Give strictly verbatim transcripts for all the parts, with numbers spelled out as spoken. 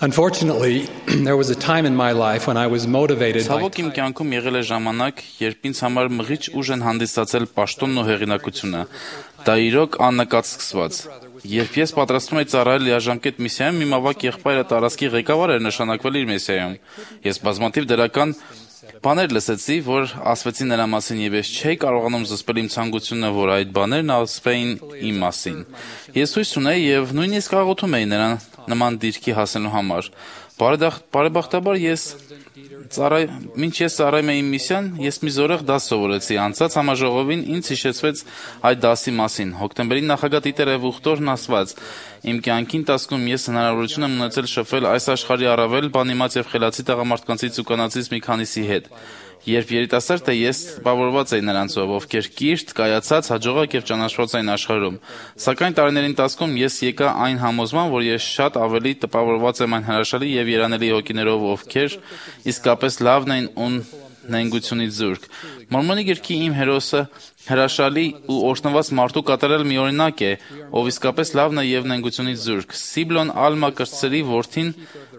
Unfortunately, there was a time in my life when I was motivated by Ցավոք իմ կյանքում եղել է ժամանակ, երբ ինձ համար մղիչ ուժ են հանդիսացել պաշտոնն ու հեղինակությունը։ Դա իրոք աննկատ սկսված։ Երբ ես պատրաստվում էի ծառայել լիաժամկետ միսիայում, իմ ավագ եղբայրը տարածքի ղեկավար էր նշանակվել իր միսիայում։ Ես բազմաթիվ դրական բաներ լսեցի, որ ասվեցին նրա մասին, եւ ես չէի կարողանում զսպել իմ ցանկությունը, որ այդ բաներն ասվեին իմ մասին։ Ես հույս ունեի եւ նույնիսկ աղոթում էի նրան նման դիրքի հասնելու համար։ Բարեբախտաբար ես ծառայ մինչ ես ծառայում էի միսիան, ես մի զորեղ դաս սովորեցի։ Անցած համաժողովին ինձ հիշեցվեց այդ դասի մասին։ Հոկտեմբերի նախագահ Տիտեր Էվուխտորն ասված. «Իմ կյանքի ընթացքում ես հնարավորություն եմ ունեցել շփվել այս աշխարհի առավել բանիմաց եւ խելացի տղամարդկանցից ու կանանցից մի քանիսի հետ։ Երբ երիտասարդ էի, ես տպավորված էի նրանցով, ովքեր կիրթ, կայացած, հաջողակ եւ ճանաչված էին աշխարհում։ Սակայն տարիների ընթացքում ես եկա այն համոզման, որ ես շատ ավելի տպավորված եմ այն հրաշալի եւ երանելի հոգիներով, ովքեր իսկապես լավն են ու նենգությունից զուրկ։ Մորմոնի գրքի իմ հերոսը հրաշալի ու օրհնված մարդու կատարել մի օրինակ է, ով իսկապես լավն է եւ նենգությունից զուրկ։ Սիբլոն Ալմա կրտսերի որդին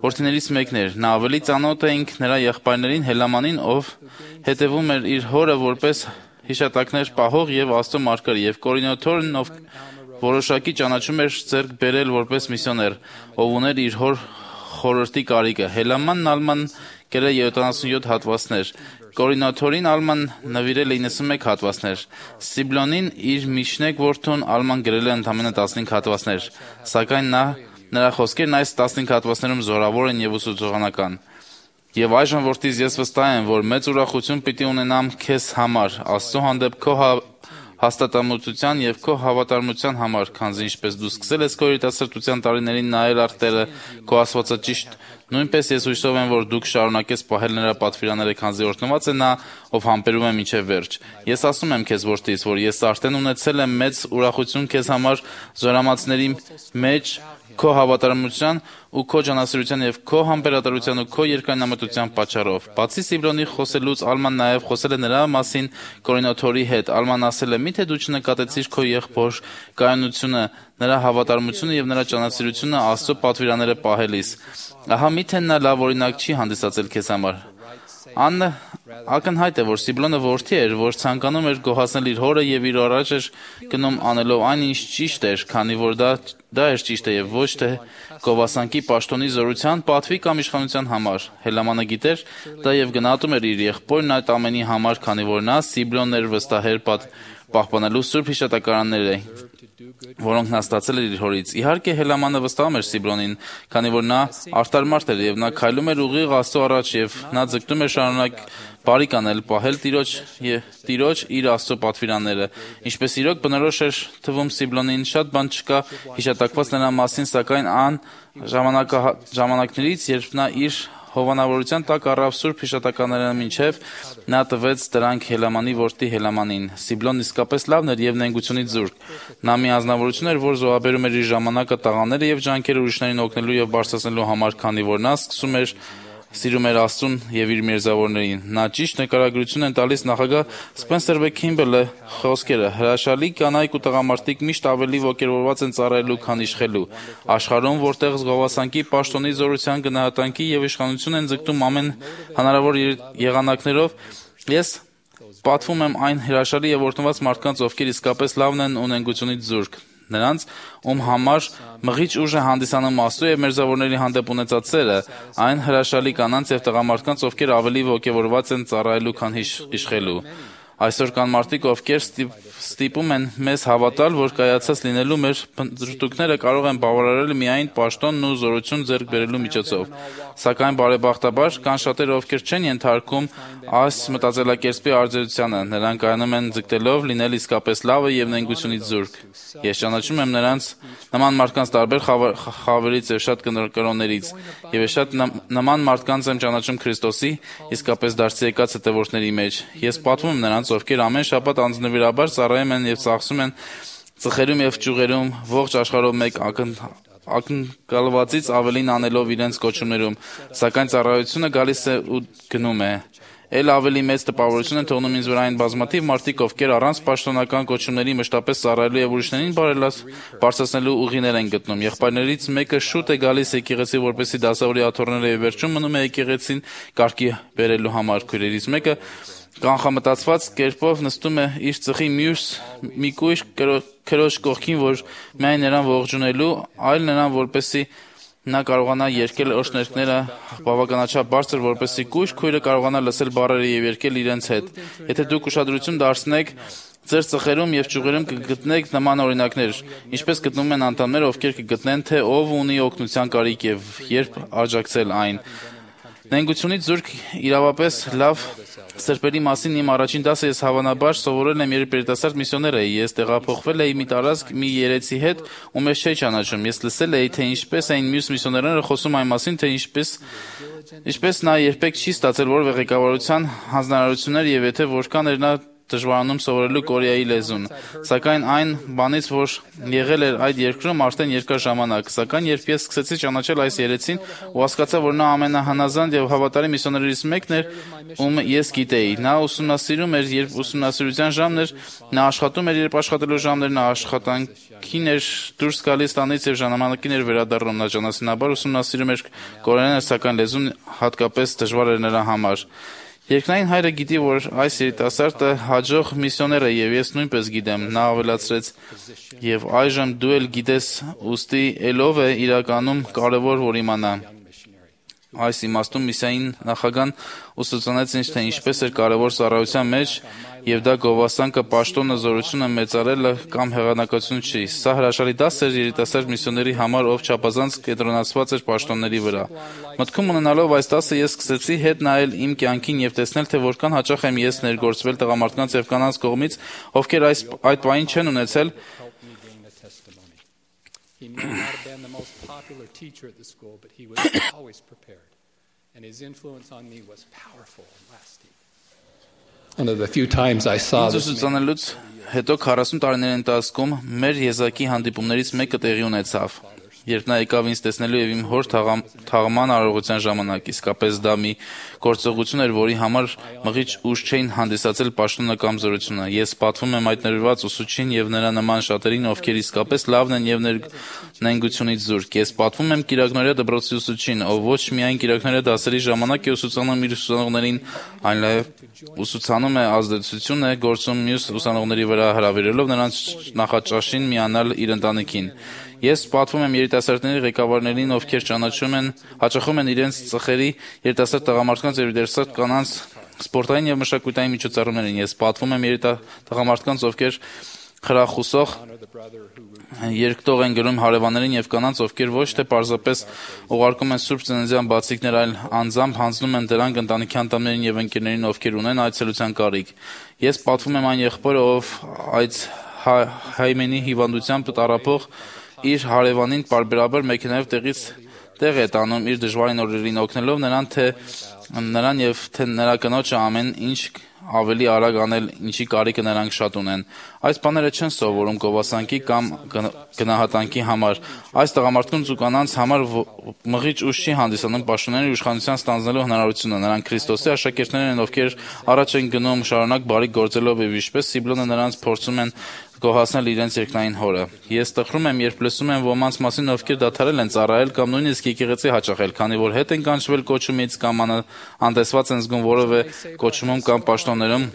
որդիներից մեկն էր։ Նա ավելի ծանոթ էինք նրա եղբայրներին Հելամանին, ով հետևում էր իր հորը որպես հիշատակներ պահող եւ Աստծո մարգարե, եւ Կորինոթորն, ով որոշակի ճանաչում էր ձեռք բերել որպես միսիոներ, ով ուներ իր հոր խորհրդի կարիքը։ Հելամանն Ալման գրել յոթանասունյոթ հատվածներ, Կորինոթորին Ալման նվիրել է իննսունմեկ հատվածներ, Սիբլոնին իր Միշնեկ որդուն Ալման գրել է ընդամենը տասնհինգ հատվածներ, սակայն նա նրա խոսքերն այս տասնհինգ հատվածներում զորավոր են եւ ուսուցողանական։ Եվ այժմ որդից ես վստահ եմ, որ մեծ ուրախություն պիտի ունենամ քեզ համար, Աստծո հանդեպ քո հաստատամտության եւ քո հավատարմության համար, քանզի ինչպես դու սկսել ես քո երիտասարդության տարիներին նայել արտերը քո աստվածաճիշտ, նույնպես ես հույսով եմ, որ դու կշարունակես պահել նրա պատվիրանները, քանզի օրհնված է նա, ով համբերում է մինչև վերջ։ Ես ասում եմ քեզ որդից, որ ես արդեն ունեցել եմ մեծ ուրախություն քեզ համար զորամացների մեջ քո հավատարմության ու քո ջանասիրության եւ քո համբերատարության ու քո երկայնամտության պատճառով։ Բացի Սիբլոնի խոսելուց, Ալման նաեւ խոսել է նրա մասին Կորինոթորի հետ։ Ալման ասել է. «Միթե դու չնկատեցիր քո եղբոր կայունությունը, նրա հավատարմությունը եւ նրա ջանասիրությունը Աստծո պատվիրանները պահելիս։ Ահա միթե նա լավ օրինակ չի հանդիսացել քեզ համար»։ Աննը ակնհայտ է, որ Սիբլոնը որդի էր, որ ցանկանում էր գոհացնել իր հորը եւ իր առաջ էր գնում անելով այն, ինչ ճիշտ էր, քանի որ դա դա էր ճիշտը եւ ոչ թե գովասանքի պաշտոնի զորության, պատվի կամ իշխանության համար։ Հելամանը գիտեր դա եւ գնահատում էր իր եղբորն այդ ամենի համար, քանի որ նա Սիբլոնն էր վստահեր պահպանելու սուրբ հիշատակարանները, որոնք նա ստացել էր իր հորից։ Իհարկե Հելամանը վստահում էր Սիբլոնին, քանի որ նա արդար մարդ էր եւ նա քայլում էր ուղիղ Աստծո առաջ եւ նա ձգտում էր շարունակ բարիք անել, պահել Տիրոջ եւ Տիրոջ իր Աստծո պատվիրանները։ Ինչպես իրոք բնորոշ էր թվում Սիբլոնին, շատ բան չկա հիշատակված նրա մասին, սակայն ան ժամանակներից, երբ նա իր հովանավորության տակ առավ սուրբ հիշատականները մինչև նա տվեց դրանք Հելամանի որդի Հելամանին։ Սիբլոնն իսկապես լավն էր եւ նենգությունից զուրկ։ Նա մի անձնավորություն էր, որ զոհաբերում էր իր ժամանակը տաղաները եւ ջանքերը ուրիշներին օգնելու եւ բարձրացնելու համար, քանի որ նա սկսում էր սիրում էր Աստծուն եւ իր մերձավորներին։ Նա ճիշտ նկարագրություն են տալիս նախագահ Սպենսեր Վ. Քիմբելը խոսքերը. «Հրաշալի կանայք ու տղամարդիկ միշտ ավելի ոգևորված են ծառայելու, քան իշխելու։ Աշխարհում, որտեղ զգովասանքի, պաշտոնի, զորության, գնահատանքի եւ իշխանություն են ձգտում ամեն հնարավոր եղանակներով, ես պատվում եմ այն հրաշալի եւ օրհնված մարդկանց, ովքեր իսկապես լավն են ու նենգությունից զուրկ։ Նրանց, ում համար մղիչ ուժ է հանդիսանում Աստծո եւ մերձավորների հանդեպ ունեցած սերը, այն հրաշալի կանանց եւ տղամարդկանց, ովքեր ավելի ոգևորված են ծառայելու, քան իշխելու։ Այսօր կան մարդիկ, ովքեր ստիպում են մեզ հավատալ, որ կայացած լինելու մեր փնտրտուքները կարող են բավարարել միայն պաշտոնն ու զորություն ձեռք բերելու միջոցով։ Սակայն բարեբախտաբար կան շատերը, ովքեր չեն ենթարկում այս մտածելակերպի արձերությանը, նրանք կայանում են ձգտելով լինել իսկապես լավը եւ նենգությունից զուրկ։ Ես ճանաչում եմ նրանց նման մարդկանց տարբեր խավերից եւ շատ կրոններից, եւ ես շատ նման մարդկանց եմ ճանաչում Քրիստոսի իսկապես դարձի եկած հետևորդների մեջ։ Ես պատվում եմ նրանց, ովքեր ամեն շաբաթ անձնվիրաբար ծառայում են եւ ծախսում են ծխերում եւ ճյուղերում ողջ աշխարհով մեկ ակնկալվածից ավելին անելով իրենց կոչումներում, սակայն ծառայությունը գալիս է ու գնում է։ Էլ ավելի մեծ տպավորություն են թողնում ինձ վրա այն բազմաթիվ մարդիկ, ովքեր առանց պաշտոնական կոչումների մշտապես ծառայելու եւ ուրիշներին բարելաս բարձրացնելու ուղիներ են գտնում։ Եղբայրներից մեկը շուտ է գալիս եկեղեցի, որպեսզի դասավորի աթոռները եւ վերջում մնում է եկեղեցին կարգի բերելու համար։ Քույրերից մեկը կանխամտածված կերպով նստում է իր ծխի մյուս մի կույր քրոջ կողքին, որ միայն նրան ողջունելու, այլ նրան որպեսզի նա կարողանա երգել օրհներգները բավականաչափ բարձր, որպեսզի կույր քույրը կարողանա լսել բառերը եւ երգել իրենց հետ։ Եթե դուք ուշադրություն դարձնեք ձեր ծխերում եւ ճյուղերում կգտնեք նման օրինակներ, ինչպես գտնում են անդամները, ովքեր կգտնեն, թե ով ունի օգնության կարիք եւ երբ աջակցել այն։ Նենգությունից զուրկ իրավապես լավ սրբերի մասին իմ առաջին դասը ես հավանաբար սովորել եմ երբ երիտասարդ միսիոներ էի։ Ես տեղափոխվել էի մի տարածք մի երեցի հետ, ու մեզ չէի ճանաչում։ Ես լսել էի, թե ինչպես էին մյուս միսիոներները խոսում այն մասին, թե ինչպես ինչպես նա երբեք չի ստացել որևէ ղեկավարության հանձնարարություններ եւ եթե որքան էր նա դժվարանում սովորելու կորեայի լեզուն։ Սակայն այն բանից, որ եղել էր այդ երկրում արդեն երկար ժամանակ։ Սակայն երբ ես սկսեցի ճանաչել այս երեցին ու հասկացա, որ նա ամենահանազանդ եւ հավատարիմ միսիոներներից մեկն էր, ում ես գիտեի։ Նա ուսումնասիրում էր, երբ ուսումնասիրության ժամն էր, նա աշխատում էր, երբ աշխատելու ժամն էր, նա աշխատանքին էր դուրս գալիս տանից եւ ժամանակին էր վերադառնում։ Նա ճանասինաբար ուսումնասիրում էր կորեաները, սակայն լեզուն հատկապես դժվար էր նրա համար։ Երկնային հայրը գիտի, որ այս երիտասարդը հաջող միսիոներ է եւ ես նույնպես գիտեմ, նա ավելացրեց, եւ այժմ դու էլ գիտես, ուստի ելով է իրականում կարևոր որ իմանա։ Այս իմաստում միսիային նախագահան ուսուցանեց ինձ, թե ինչպես էր կարևոր ծառայության մեջ եւ դա գովասանքը, պաշտոնը, զորությունը մեծարելը կամ հեղանակություն չի։ Սա հրաշալի դաս էր երիտասարդ միսիոների համար, ով չափազանց կենտրոնացված էր պաշտոնների վրա։ Մտքում ունենալով այս դասը ես սկսեցի հետ նայել իմ կյանքին եւ տեսնել, թե որքան հաճախ եմ ես ներգործվել տղամարդկանց եւ կանանց կողմից, ովքեր այս այդ բանին չեն ունեցել He may not have been the most popular teacher at the school, but he was always prepared. And his influence on me was powerful and lasting. One of the few times I saw this ուսուցանելուց հետո քառասուն տարիների ընթացքում մեր եզակի հանդիպումներից մեկը տեղի ունեցավ։ Երբ նա եկավ ինձ տեսնելու եւ իմ հոր թաղման արարողության ժամանակ, իսկապես դա մի գործողություն էր, որի համար մղիչ ուժ չէին հանդիսացել պաշտոնը կամ զորությունը։ Ես պատվում եմ այդ ներված ուսուցչին եւ նրա նման շատերին, ովքեր իսկապես լավն են եւ նենգությունից զուրկ։ Ես պատվում եմ Կիրակնորիա դպրոցի ուսուցչին, ով ոչ միայն Կիրակնորիա դասերի ժամանակ է ուսուցանում իր ուսանողներին, այլև ուսուցանում է ազդեցություն է գործում մյուս ուսանողների վրա, հրավիրելով նրանց նախաճաշին միանալ իր ընտանիքին։ Ես պատվում եմ երիտասարդների ղեկավարներին, ովքեր ճանաչում են, հաճախում են իրենց ծխերի երիտասարդ տղամարդկանց եւ երիտասարդ կանանց սպորտային եւ մշակութային միջոցառումներին։ Ես պատվում եմ երիտասարդ տղամարդկանց, ովքեր խրախուսող երկտող են գրում հարևաններին եւ կանանց, ովքեր ոչ թե պարզապես ուղարկում են սուրբ ծննդյան բացիկներ, այլ անձամբ հանձնում են դրանք ընտանիքի անդամներին եւ ընկերներին, ովքեր ունեն այցելության կարիք։ Ես պատվում եմ այն եղբորը, ով այդ հայմենի հիվանդությամբ տառապող իր հարևանին պարբերաբար մեքենայով տեղից տեղ է տանում իր դժվարին օրերին, օգնելով նրան, թե նրան եւ թե նրա կնոջը ամեն ինչ ավելի արագ անել, ինչի կարիքը նրանք շատ ունեն։ Այս բաները չեն սովորում գովասանքի կամ գնահատանքի համար։ Այս տղամարդկանց ու կանանց համար մղիչ ուժ չի հանդիսանում պաշտոնների իշխանության ստանձնելու հնարավորությունը։ Նրանք Քրիստոսի աշակերտներ են, ովքեր առաջ են գնում շարունակ բարիք գործելով եւ ինչպես Սիբլոնը նրանց փորձում են գոհացնել իրենց երկնային հորը։ Ես տխրում եմ, երբ լսում եմ ոմանց մասին, ովքեր դադարել են ծառայել կամ նույնիսկ եկեղեցի հաճախել, քանի որ հետ են կանչվել կոչումից կամ անտեսված են զգում որևէ կոչումում կամ պաշտոններում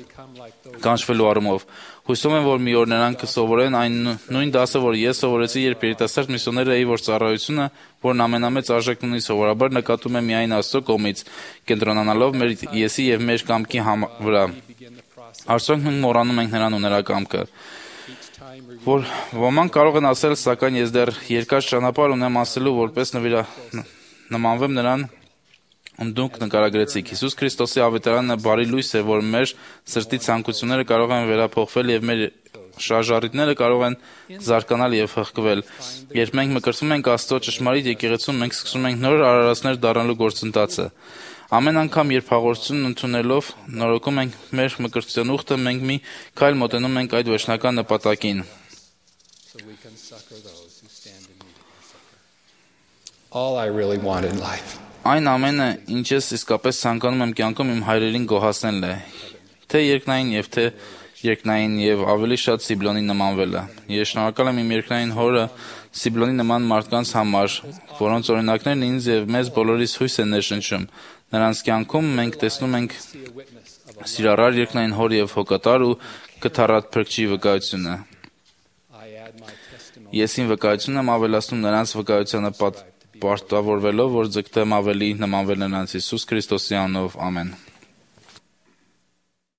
կանչվելու առումով։ Հույսում եմ, որ մի օր նրանք կսովորեն այն նույն դասը, որ ես սովորեցի, երբ երիտասարդ միսիոներ էի, որ ծառայությունը, որն ամենամեծ արժեքն ունի, սովորաբար նկատում է միայն Աստծո կողմից, կենտրոնանալով մեր եսի եւ մեր կամքի վրա։ Արդյոք մենք մոռանում ենք նրան ու նրա կամքը։ Որ ոմանք կարող են ասել, սակայն ես դեռ երկար ճանապարհ ունեմ անցնելու, որպես նվիրա նմանվեմ նրան, ում դուք նկարագրեցիք։ Հիսուս Քրիստոսի ավետարանը բարի լույս է, որ մեր սրտի ցանկությունները կարող են վերափոխվել եւ մեր շարժառիթները կարող են զարգանալ եւ հղկվել։ Երբ մենք մկրտվում ենք Աստծո ճշմարիտ եկեղեցում, մենք սկսում ենք նոր արարածներ դառնալու գործընթացը։ Ամեն անգամ, երբ հաղորդությունն ընդունելով նորոգում ենք մեր մկրտության ուխտը, մենք մի քայլ մոտենում ենք այդ վերջնական նպատակին։ All I really want in life Այն ամենը, ինչ ես իսկապես ցանկանում եմ կյանքում իմ հայրերին գոհացնելն է, թե երկնային եւ թե երկնային եւ ավելի շատ Սիբլոնի նմանվելը։ Ես շնորհակալ եմ իմ երկնային հորը Սիբլոնի նման մարդկանց համար, որոնց օրինակներն ինձ եւ մեզ բոլորիս հույս են ներշնչում։ Նրանց կյանքում մենք տեսնում ենք սիրառար երկնային հոր եւ հոգատար ու կթառատ փրկչի վկայությունը։ Ես իմ վկայությունն եմ ավելացնում նրանց վկայությանը պարտավորվելով, որ ձգտեմ ավելի նմանվել նրանց Հիսուս Քրիստոսի անունով, ամեն։